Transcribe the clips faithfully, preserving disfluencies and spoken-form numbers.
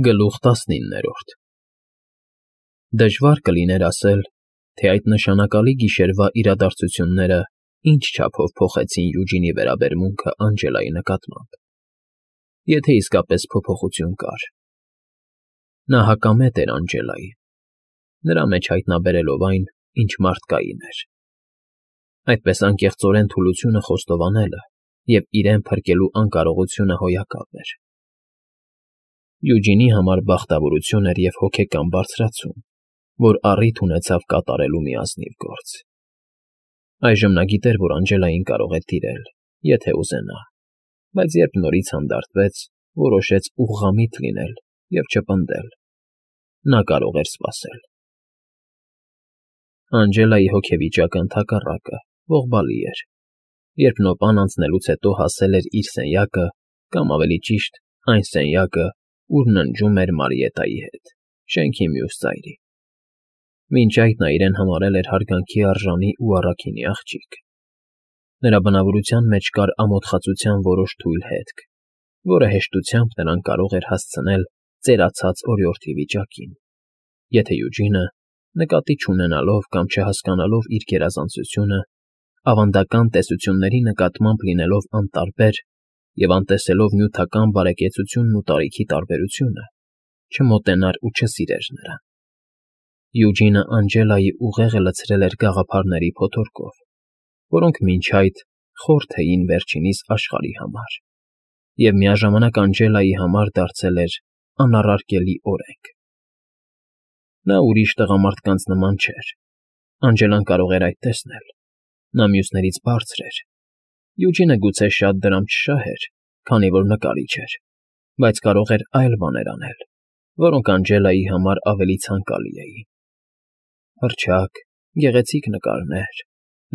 Գլուխ տասնիններորդ Դժվար կլիներ ասել, թե այդ նշանակալի գիշերվա իրադարձությունները ինչ չափով փոխեցին Յուջինի վերաբերմունքը Անգելայի նկատմամբ, եթե իսկապես փոփոխություն կար. նա հակամետ էր Անգելային, նրա մեջ հայտնաբերելով այն, ինչ մարդկային էր, այդպես անկեղծորեն թուլությունը խոստովանելը և իրեն փրկելու անկարողությունը հոյակապ էր. Յուջինի համար բախտավորություն էր և հոգեկան բարձրացում, որ առիթ ունեցավ կատարելու մի ազնիվ գործ. այժմ նա գիտեր, որ Անգելային կարող է տիրել, եթե ուզենա, բայց երբ նորից հանդարտվեց, որոշեց ուղղամիտ լինել և չպնդել. նա կարող էր սպասել։ Անգելայի հոգեվիճակը ընդհակառակը, ողբալի էր, երբ նոպան անցնելուց հետո հասել էր իր սենյակը կամ, ավելի ճիշտ, այն սենյակը, ուր ննջում էր Մարիետայի հետ, շենքի մյուս ծայրի. մինչ այդ նա իրեն համարել էր հարգանքի արժանի ու առաքինի աղջիկ. նրա բնավորության մեջ կար ամոթխածության որոշ թույլ հետք, որը հեշտությամբ նրան կարող էր հասցնել ծերացած օրիորդի վիճակին, եթե Յուջինը, նկատի չունենալով կամ չհասկանալով իր գերազանցությունը, ավանդական տեսությունների նկատմամբ լինելով անտարբեր և անտեսելով նյութական բարեկեցությունն ու տարիքի տարբերությունը, չմոտենար ու չսիրեր նրան։ Յուջինը Անգելայի ուղեղը լցրել էր գաղափարների փոթորկով, որոնք մինչ այդ խորթ էին վերջինիս աշխարհի համար, և միաժամանակ Անգելայի համար դարձել էր անառարկելի օրենք։ Նա ուրիշ տղամարդկանց նման չէր, Անգելան կարող էր այդ տեսնել, նա մյուսներից բարձր էր, Յուջինը գուցե շատ դրամ չշահեր, քանի որ նկարիչ էր, բայց կարող էր այլ բաներ անել, որոնք Անգելայի համար ավելի ցանկալի էին. հռչակ, գեղեցիկ նկարներ,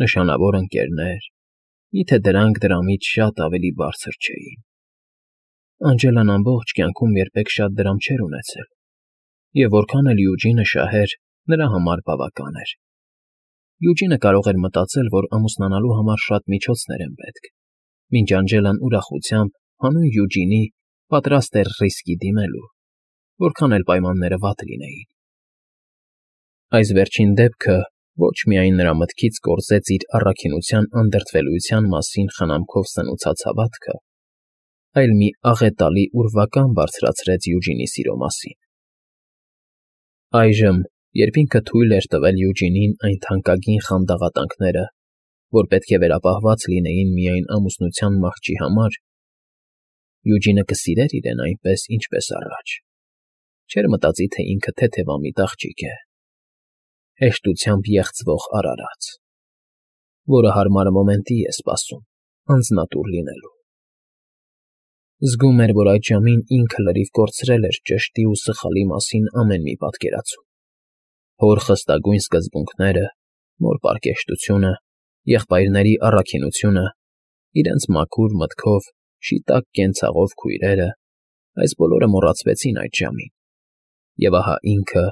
նշանավոր ընկերներ, միթե դրանք դրամից շատ ավելի բարձր չէին։ Անգելան ամբողջ կյանքում երբեք շատ դրամ չէր ունեցել, և որքան էլ Յուջինը շահեր, նրա համար բավական էր։ Յուջինը կարող էր մտածել, որ ամուսնանալու համար շատ միջոցներ են պետք, մինչ Անգելան ուրախությամբ հանուն Յուջինի պատրաստ էր ռիսկի դիմելու, որքան էլ պայմանները վատ լինեին։ Այս վերջին դեպքը ոչ միայն նրա մտքից կորզեց իր առաքինության անդրդվելույթյան մասին խնամքով սնուցած հավատքը, այլ մի աղետալի ուրվական բարձրացրեց Յուջինի սիրո մասին։ Այժմ, երբ ինքը թույլ էր տվել Յուջինին այն թանկագին խանդաղատանքները, որ պետք է վերապահված լինեին միայն ամուսնության մահճի համար, Յուջինը կսիրեր իրեն այնպես, ինչպես առաջ, չէր մտածի, թե ինքը թեթևամիտ աղջիկ է, հեշտությամբ եղցվող արարած, որը հարմար մոմենտի է սպասում անձնատուր լինելու։ Զգում էր, որ այդ ժամին ինքը լրիվ կորցրել էր ճշտի ու սխալի մասին ամեն մի պատկերացում, հոր խստագույն սկզբունքները, մոր պարկեշտությունը, եղբայրների առաքինությունը, իրենց մաքուր մտքով, շիտակ կենցաղով քույրերը, այս բոլորը մոռացվեցին այդ ժամին, և ահա ինքը,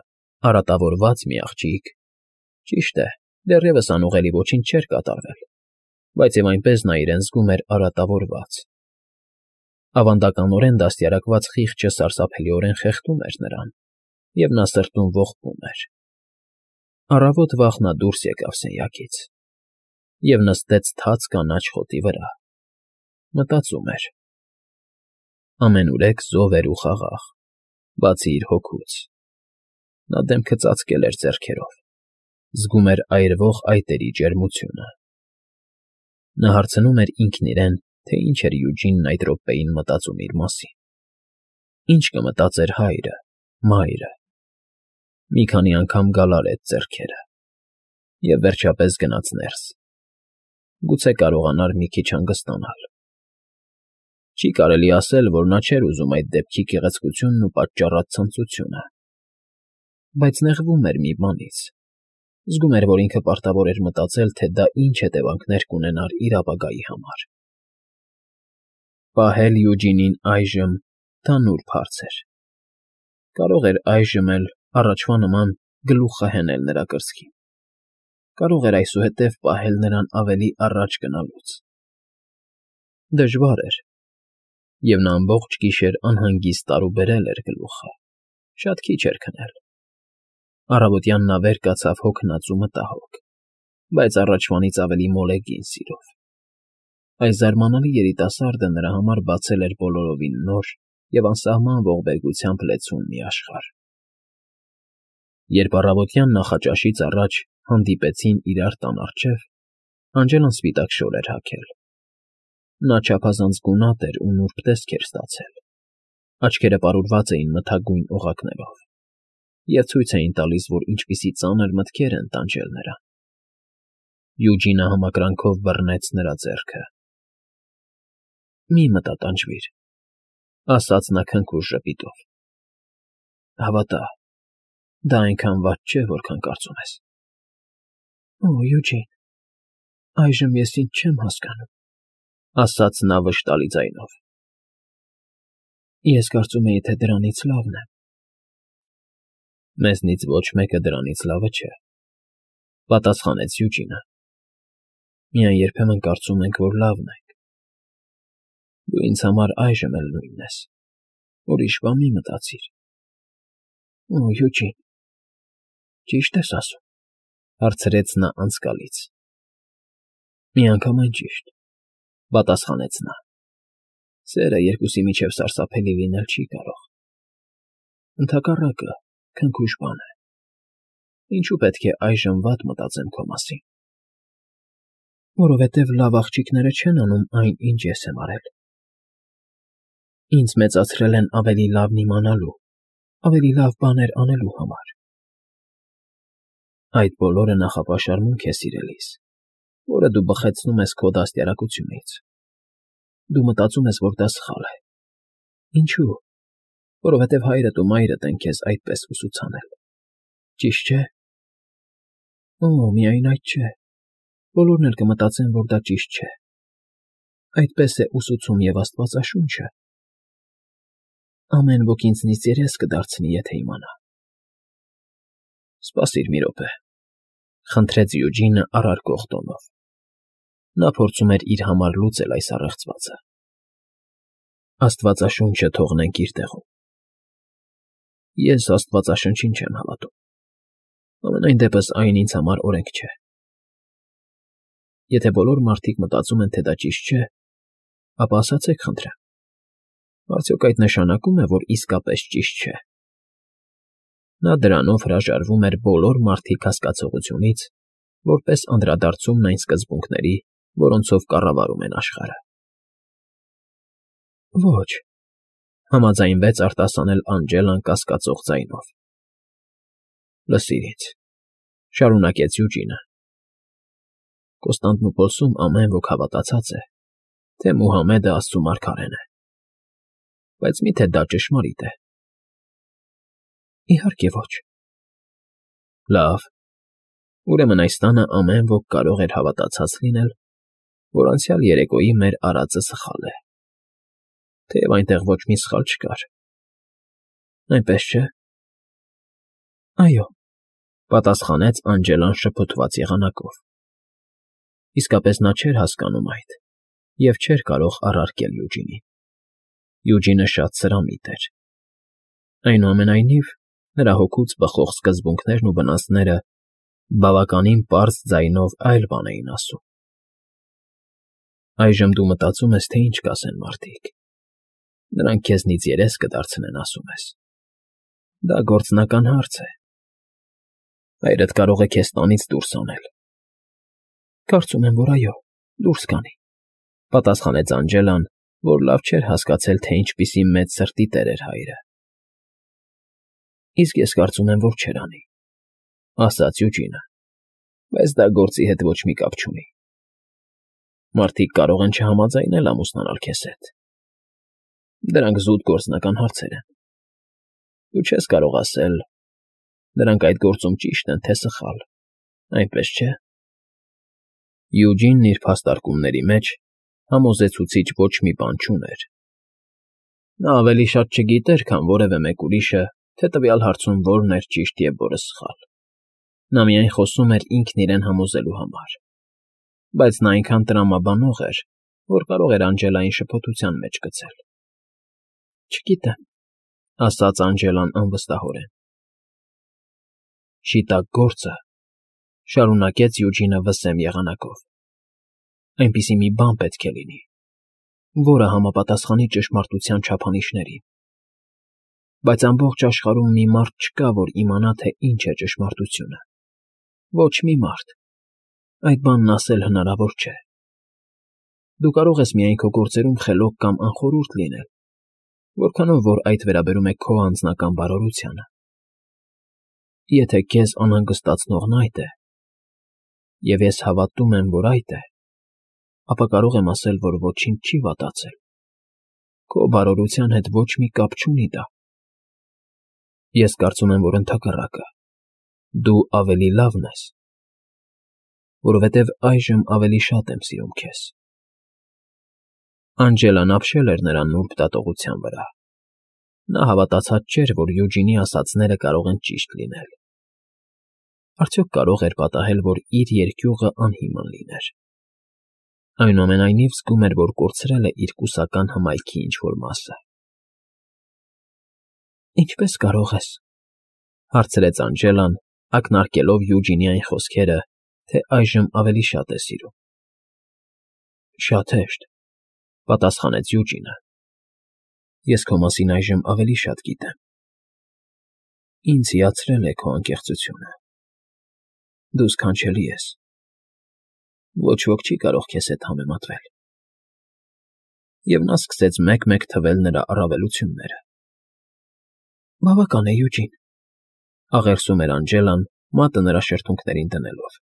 արատավորված մի աղջիկ, ճիշտ է, դեռևս անուղելի ոչինչ չէր կատարվել, բայց և այնպես նա իրեն զգում էր արատավորված։ Ավանդականորեն դաստիարակված խիղճը սարսափելիորեն խեղդում էր նրան, և նա սրտում ողբում էր։ Առավոտ վաղ նա դուրս եկավ սենյակից և նստեց թաց կանաչ խոտի վրա, մտածում էր. ամենուրեք զով էր ու խաղաղ, բացի իր հոգուց, նա դեմքը ծածկել էր ձեռքերով, զգում էր այրվող այտերի ջերմությունը։ Նա հարցնում էր ինքն իրեն, թե ինչ էր Յուջինն այդ րոպեին մտածում իր մասին, ինչ կմտածեր հայրը, մայրը։ Մի քանի անգամ գալարեց ձեռքերը և վերջապես գնաց ներս, գուցե կարողանար մի քիչ հանգստանալ։ Չի կարելի ասել, որ նա չէր ուզում այդ դեպքի գեղեցկությունն ու պատճառած ցնծությունը, բայց նեղվում էր մի բանից, զգում էր, որ ինքը պարտավոր էր մտածել, թե դա ինչ հետևանքներ կունենար իր ապագայի համար։ Պահել Յուջինին այժմ դա նուրբ հարց էր, կարող էր այժմ էլ, առաջվա նման, գլուխը հենել նրա կրծքին, կարող էր այսուհետև պահել նրան ավելի առաջ գնալուց։ Դժվար էր, և նա ամբողջ գիշեր անհանգիստ տարուբերել էր գլուխը։ Շատ քիչ էր քնել։ Առավոտյան նա վեր կացավ հոգնած ու մտահոգ, բայց առաջվանից ավելի մոլեգին սիրով։ Այս զարմանալի երիտասարդը նրա համար բացել էր բոլորովին նոր և անսահման ողբերգությամբ լեցուն մի աշխարհ։ Երբ առավոտյան նախաճաշից առաջ հանդիպեցին իրար տան առջև, Անգելան սպիտակ շոր էր հագել։ Նա չափազանց գունատ էր ու նուրբ տեսք էր ստացել, աչքերը պարուրված էին մթագույն օղակներով և ցույց էին տալիս, որ ինչպիսի ծանր մտքեր են տանջել նրան։ Յուջինը համակրանքով բռնեց նրա ձեռքը։ ֊ Մի մտատանջվիր, ֊ ասաց նա քնքուշ ժպիտով։ ֊ Հավատա, դա այնքան վատ չէ, որքան կարծում ես։ ֊ Օ, Յուջին, այժմ ես ինձ չեմ հասկանում, ֊ ասաց նա վշտալի ձայնով։ ֊ Ես կարծում էի, թե դրանից լավն եմ։ Մեզնից ոչ մեկը դրանից լավը չէ, ֊ պատասխանեց Յուջինը։ Միայն երբեմն կարծում ենք, որ լավն ենք։ Դու ինձ համար այժմ էլ նույնն ես, ուրիշ բան մի մտածիր։ ֊ Օ, Յուջին, ճի՞շտ ես ասում, ֊ հարցրեց նա անձկալից։ ֊ Միանգամայն ճիշտ, ֊ պատասխանեց նա։ Սերը երկուսի միջև սարսափելի լինել չի կարող։ Ընդհակառակը, քնքուշ բան է։ Ինչու պետք է այժմ վատ մտածեմ քո մասին։ Որովհետև լավ աղջիկները չեն անում այն, ինչ ես եմ արել։ Ինձ մեծացրել են ավելի լավն իմանալու, ավելի լավ բաներ անելու համար։ Այդ բոլորը նախապաշարմունք է, սիրելիս, որը դու բխեցնում ես քո դաստիարակությունից։ Դու մտածում ես, որ դա սխալ է։ Ինչու՞։ Որովհետև հայրդ ու մայրդ են քեզ այդպես ուսուցանել։ Ճիշտ չէ։ Օ, միայն այդ չէ։ Բոլորն էլ կմտածեն, որ դա ճիշտ չէ։ Այդպես է ուսուցում և Աստվածաշունչը։ Ամեն ոք ինձնից երես կդարձնի, եթե իմանա։ Սպասիր մի րոպե, ֊ խնդրեց Յուջինը առարկող տոնով։ Նա փորձում էր իր համար լուծել այս առեղծվածը։ Աստվածաշունչը թողնենք իր տեղում։ Ես Աստվածաշնչին չեմ հավատում։ Համենայն դեպս այն ինձ համար օրենք չէ։ Եթե բոլոր մարդիկ մտածում են, թե դա ճիշտ չէ, ապա ասացեք, խնդրեմ, արդյոք այդ նշանակում է, որ իսկապես ճիշտ չէ։ Նա դրանով հրաժարվում էր բոլոր մարդիկ հասկացողությունից, որպես անդրադարձումն այն սկզբունքների, որոնցով կառավարում են աշխարհը։ Ոչ, ֊ համաձայնվեց արտասանել Անգելան կասկածող ձայնով։ Լսիր ինձ, ֊ շարունակեց Յուջինը։ Կոստանդնուպոլսում ամեն ոք հավատացած է, թե Մուհամեդը Աստծու մարգարեն է։ Բայց մի՞թե դա ճշմարիտ է։ Իհարկե ոչ։ Լավ, ուրեմն այս տանը ամեն ոք կարող էր հավատացած լինել, որ անցյալ երեկոյի մեր արածը սխալ է, թեև այնտեղ ոչ մի սխալ չկար։ Այնպես չէ։ Այո, ֊ պատասխանեց Անգելան շփոթված եղանակով։ Իսկապես նա չէր հասկանում այդ և չէր կարող առարկել Յուջինին։ Յուջինը շատ սրամիտ էր։ Այնուամենայնիվ, նրա հոգուց բխող սկզբունքներն ու վնասները բավականին պարզ ձայնով այլ բան էին ասում։ Այժմ դու մտածում ես, թե ինչ կասեն մարդիկ։ Նրանք քեզնից երես կդարձնեն, ասում ես։ Դա գործնական հարց է։ Հայրդ կարող է քեզ տանից դուրս անել։ Կարծում եմ, որ այո, դուրս կանի, ֊ պատասխանեց Անգելան, որ լավ չէր հասկացել, թե ինչպիսի մեծ սրտի տեր էր հայրը։ Իսկ ես կարծում եմ, որ չեր անի, ֊ ասաց Յուջինը, բայց դա գործի հետ ոչ մի կապ չունի։ Մարդիկ կարող են չհամաձայնել ամուսնանալ քեզ հետ։ Դրանք զուտ գործնական հարցեր են։ Դու չես կարող ասել. դրանք այդ գործում ճիշտ են, թե սխալ, այնպես չէ։ Յուջինն իր փաստարկումների մեջ համոզեցուցիչ ոչ մի բան չուներ։ Նա ավելի շատ չգիտեր, քան որևէ մեկ ուրիշը, թե տվյալ հարցում որն էր ճիշտ և որը սխալ։ Նա միայն խոսում էր ինքն իրեն համոզելու համար։ Բայց նա այնքան տրամաբանող էր, որ կարող էր Անգելային շփոթության մեջ գցել։ Չգիտեմ, ասաց Անջելան անվստահորեն։ Շիտակ գործը, շարունակեց Յուջինը վսեմ եղանակով, այնպիսի մի բան պետք է լինի, որը համապատասխանի ճշմարտության չափանիշներին, բայց ամբողջ աշխարհում մի մարդ չկա, որ իմանա, թե ինչ է ճշմարտությունը, ոչ մի մարդ, այդ բանն ասել հնարավոր չէ։ Դու կարող ես միայն քո գործերում խելոք կամ անխորհուրդ լինել, որքանով որ այդ վերաբերում է քո անձնական բարօրությանը։ Եթե քեզ անհանգստացնողն այդ է, և ես հավատում եմ, որ այդ է, ապա կարող եմ ասել, որ ոչինչ չի վատացել, քո բարօրության հետ ոչ մի կապ չունի դա։ Ես կարծում եմ, որ ընդհակառակը, դու ավելի լավն ես, որովհետև այժմ ավելի շատ եմ սիրում քեզ։ Անջելան ապշել էր նրա նուրբ դատողության վրա։ Նա հավատացած չէր, որ Յուջինի ասածները կարող են ճիշտ լինել։ Արդյոք կարող էր պատահել, որ իր երկյուղը անհիմն լիներ։ Այնուամենայնիվ զգում էր, որ կորցրել է իր կուսական հմայքի ինչ-որ մասը։ Ինչպե՞ս կարող ես,֊ հարցրեց Անջելան, ակնարկելով Յուջինի այն խոսքերը, թե այժմ ավելի շատ է սիրում։ Շատ հեշտ,֊ պատասխանեց Յուջինը։ Ես քո մասին այժմ ավելի շատ գիտեմ։ Ինձ հիացրել է քո անկեղծությունը։ Դու սքանչելի ես։ Ոչ ոք չի կարող քեզ հետ համեմատվել։ Եվ նա սկսեց մեկ֊մեկ թվել նրա առավելությունները։ Բավական է, Յուջին,֊ աղերսում էր Անջելան, մատը նրա շրթունքներին դնելով։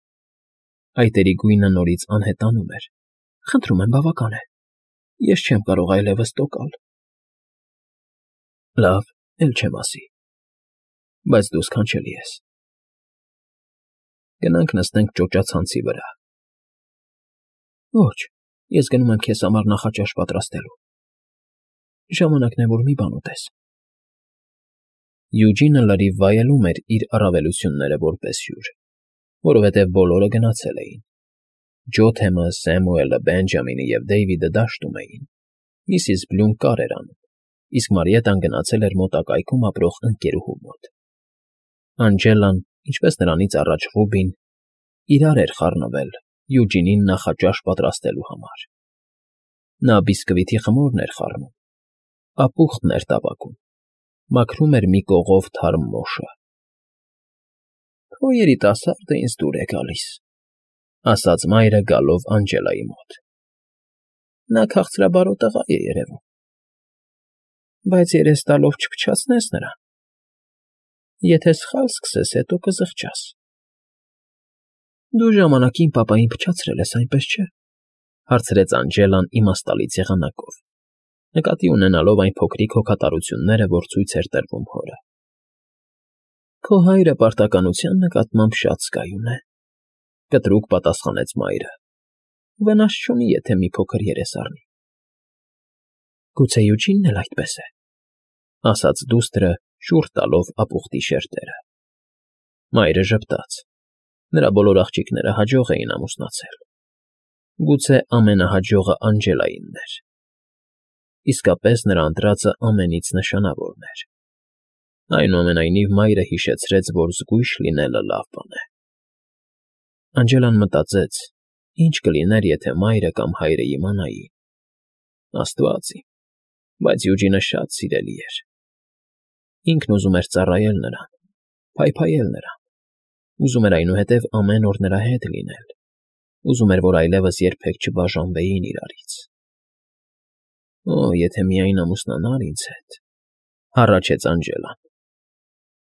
Այտերի գույնը նորից անհետանում էր։ Խնդրում եմ, բավական է։ Ես չեմ կարող այլևս տոկալ։ Լավ, էլ չեմ ասի, բայց դու սքանչելի ես։ Գնանք նստենք ճոճացանցի վրա։ Ոչ, ես գնում եմ քեզ համար նախաճաշ պատրաստելու։ Ժամանակն է, որ մի բան ուտես։ Յուջինը լրիվ վայելում էր իր առավելությունները որպես հյուր, որովհետև բոլորը գնացել էին։ Ջոթեմը, Սեմուելը, Բենջամինը և Դեյվիդը դաշտում էին, միսիս Բլյուն կար էր անում, իսկ Մարիետան գնացել էր մոտակայքում ապրող ընկերուհու մոտ։ Անջելան, ինչպես նրանից առաջ Ռուբին, իրար էր խառնվել Յուջինին նախաճաշ պատրաստելու համար։ Նա բիսկվիթի խմորն էր խառնում, ապուխտն էր տապակում, մաքրում էր մի կողով թարմ մոշը։ Քո երիտասարդը ինձ դուր է գալիս,֊ ասաց մայրը գալով Անջելայի մոտ։ Նա քաղցրաբարո տղա է երևում, բայց երես տալով չփչացնես նրան։ Եթե սխալ սկսես, հետո կզղջաս։ Դու ժամանակին պապային փչացրել ես, այնպես չէ,֊ հարցրեց Անջելան իմաստալից եղանակով, նկատի ունենալով այն փոքրիկ հոգատարությունները, որ ցույց էր տրվում հորը։ Քո հայրը պարտականության նկատմամբ շատ զգայուն է,֊ կտրուկ պատասխանեց մայրը։ Վնաս չունի, եթե մի փոքր երես առնի։ Գուցե Յուջինն էլ այդպես է,֊ ասաց դուստրը, շուռ տալով ապուխտի շերտերը։ Մայրը ժպտաց։ Նրա բոլոր աղջիկները հաջող էին ամուսնացել։ Գուցե ամենահաջողը Անջելայինն էր։ Իսկապես նրա ընտրածը ամենից նշանավորն էր։ Այնուամենայնիվ մայրը հիշեցրեց, որ զգույշ լինելը լավ բան է։ Անջելան մտածեց, ինչ կլիներ, եթե մայրը կամ հայրը իմանային։ Աստված իմ, բայց Յուջինը շատ սիրելի էր։ Ինքն ուզում էր ծառայել նրան, փայփայել նրան, ուզում էր այնուհետև ամեն օր նրա հետ լինել, ուզում էր, որ այլևս երբեք չբաժանվեին իրարից։ Օ, եթե միայն ամուսնանար ինձ հետ,֊ հառաչեց Անջելան։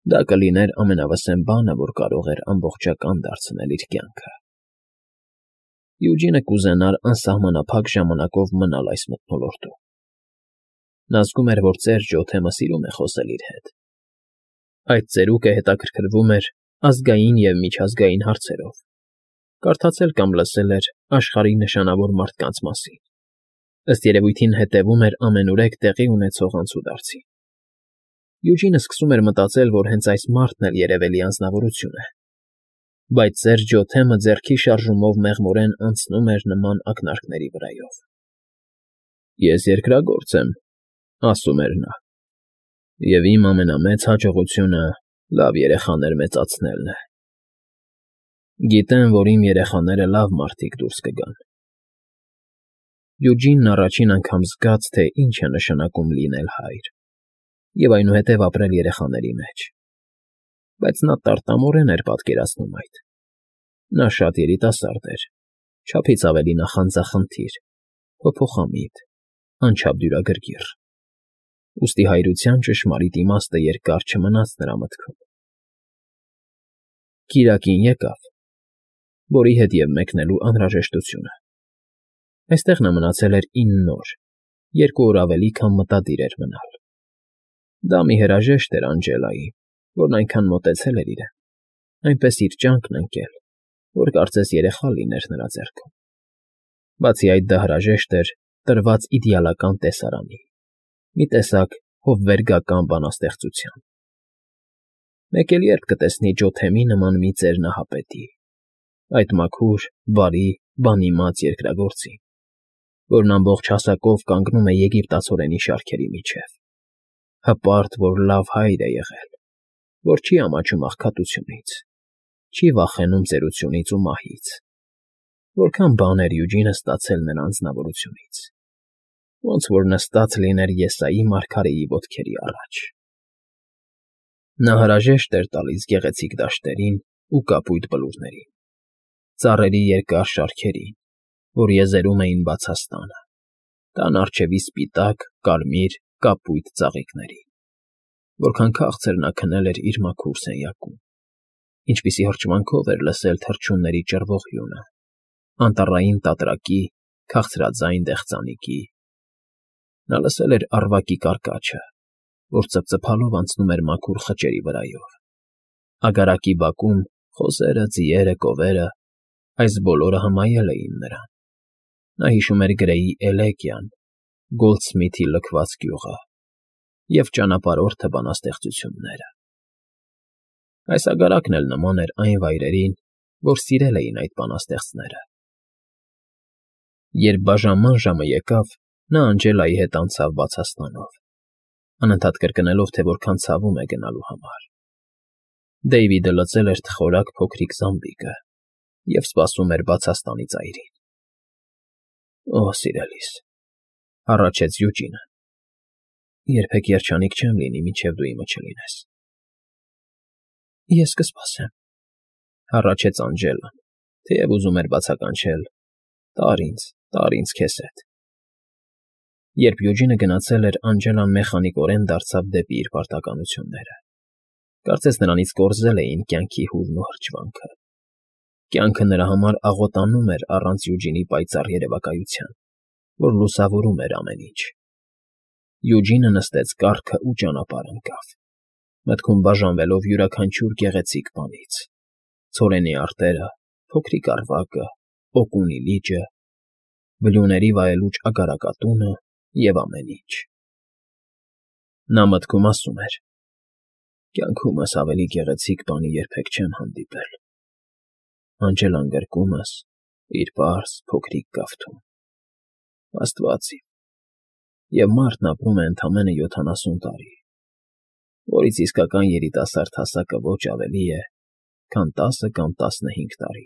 Դա կլիներ ամենավսեմ բանը, որ կարող էր ամբողջական դարձնել իր կյանքը։ Յուջինը կուզենար անսահմանափակ ժամանակով մնալ այս մթնոլորտում։ Նա զգում էր, որ ծեր Ջոթեմը սիրում է խոսել իր հետ։ Այդ ծերուկը հետաքրքրվում էր ազգային և միջազգային հարցերով, կարդացել կամ լսել էր աշխարհի նշանավոր մարդկանց մասին, ըստ երևույթին հետևում էր ամենուրեք տեղի ունեցող անցուդարձին։ Յուջինը սկսում էր մտածել, որ հենց այս մարդն էլ երևելի անձնավորություն է, բայց ծեր Ջոթեմը ձեռքի շարժումով մեղմորեն անցնում էր նման ակնարկների վրայով։ Ես երկրագործ եմ,֊ ասում էր նա։ Եվ իմ ամենամեծ հաջողությունը լավ երեխաներ մեծացնելն է։ Գիտեմ, որ իմ երեխաները լավ մարդիկ դուրս կգան։ Յուջինն առաջին անգամ զգաց, թե ինչ է նշանակում լինել հայր, և այնուհետև ապրել երեխաների մեջ, բայց նա տարտամորեն էր պատկերացնում այդ։ Նա շատ երիտասարդ էր, չափից ավելի նախանձախնդիր, փոփոխամիտ, անչափ դյուրագրգիռ, ուստի հայրության ճշմարիտ իմաստը երկար չմնաց նրա մտքում։ Կիրակին եկավ, որի հետ և մեկնելու անհրաժեշտությունը։ Այստեղ նա մնացել էր ինն օր, երկու օր ավելի, քան մտադիր էր մնալ։ Դա մի հրաժեշտ էր Անգելային, որն այնքան մոտեցել էր իրեն, այնպես իր ճանկն ընկել, որ կարծես երեխա լիներ նրա ձեռքում։ Բացի այդ, դա հրաժեշտ էր տրված իդեալական տեսարանի, մի տեսակ հովվերգական բանաստեղծության։ Մեկ էլ երբ կտեսնի Ջոթեմի նման մի ծեր նահապետի, այդ մաքուր, բարի, բանիմաց երկրագործին, որն ամբողջ հասակով կանգնում է եգիպտացորենի շարքերի միջև, հպարտ, որ լավ հայր է եղել, որ չի ամաչում աղքատությունից, չի վախենում ծերությունից ու մահից, որքան բան էր Յուջինը ստացել նրա անձնավորությունից, ոնց որ նստած լիներ Եսայի մարգարեի ոտքերի առաջ։ Նա հրաժեշտ էր տալիս գեղեցիկ դաշտերին ու կապույտ բլուրներին, ծառերի երկար շարքերին, որ եզերում էին բացաստանը, տան առջևի սպիտակ, կարմիր, կապույտ ծաղիկներին, որքան քաղցր նա քնել էր իր մաքուր սենյակում, ինչպիսի հրճվանքով էր լսել թռչունների ճռվող հյունը, անտառային տատրակի, քաղցրաձայն դեղձանիկի։ Նա լսել էր առվակի կարկաչը, որ ծփծփալով անցնում էր մաքուր խճերի վրայով, ագարակի բակում խոզերը, ձիերը, կովերը, այս բոլորը հմայել էին նրան։ Նա հիշում էր Գրեյի Էլեգիան, Գոլդսմիթի լքված գյուղը և ճանապարհորդը բանաստեղծությունները։ Այս ագարակն էլ նման էր այն վայրերին, որ սիրել էին այդ բանաստեղծները։ Երբ բաժանման ժամը եկավ, նա Անգելայի հետ անցավ բացաստանով, անընդհատ կրկնելով, թե որքան ցավում է գնալու համար։ Դեյվիդը լցել էր թխորակ փոքրիկ զամբիկը և սպասում էր բացաստանի ծայրին։ ֊ Օ, սիրելիս,֊ հառաչեց Յուջինը,֊ երբեք երջանիկ չեմ լինի, մինչև դու իմը չլինես։ ֊ Ես կսպասեմ,֊ հառաչեց Անգելան, թեև ուզում էր բացականչել. «Տար ինձ, տար ինձ քեզ հետ»։ Երբ Յուջինը գնացել էր, Անգելան մեխանիկորեն դարձավ դեպի իր պարտականությունները։ Կարծես նրանից կորզել էին կյանքի հուրն ու հրճվանքը։ Կյանքը նրա համար աղոտանում էր առանց Յուջինի պայծառ երևակայության, որ լուսավորում էր ամեն ինչ։ Յուջինը նստեց կառքը ու ճանապարհ ընկավ, մտքում բաժանվելով յուրաքանչյուր գեղեցիկ բանից՝ ցորենի արտերը, փոքրիկ առվակը, օկունի լիճը, բլուրների վայելուչ ագարակատունը և ամեն ինչ։ Նա մտքում ասում էր. «Կյանքումս ավելի գեղեցիկ բանի երբեք չեմ հանդիպել։ Անգելան գրկումս իր պարզ, փոքրիկ կավթում։ Աստված իմ, և մարդն ապրում է ընդամենը յոթանասուն տարի, որից իսկական երիտասարդ հասակը ոչ ավելի է, քան տասը կամ տասնհինգ տարի»։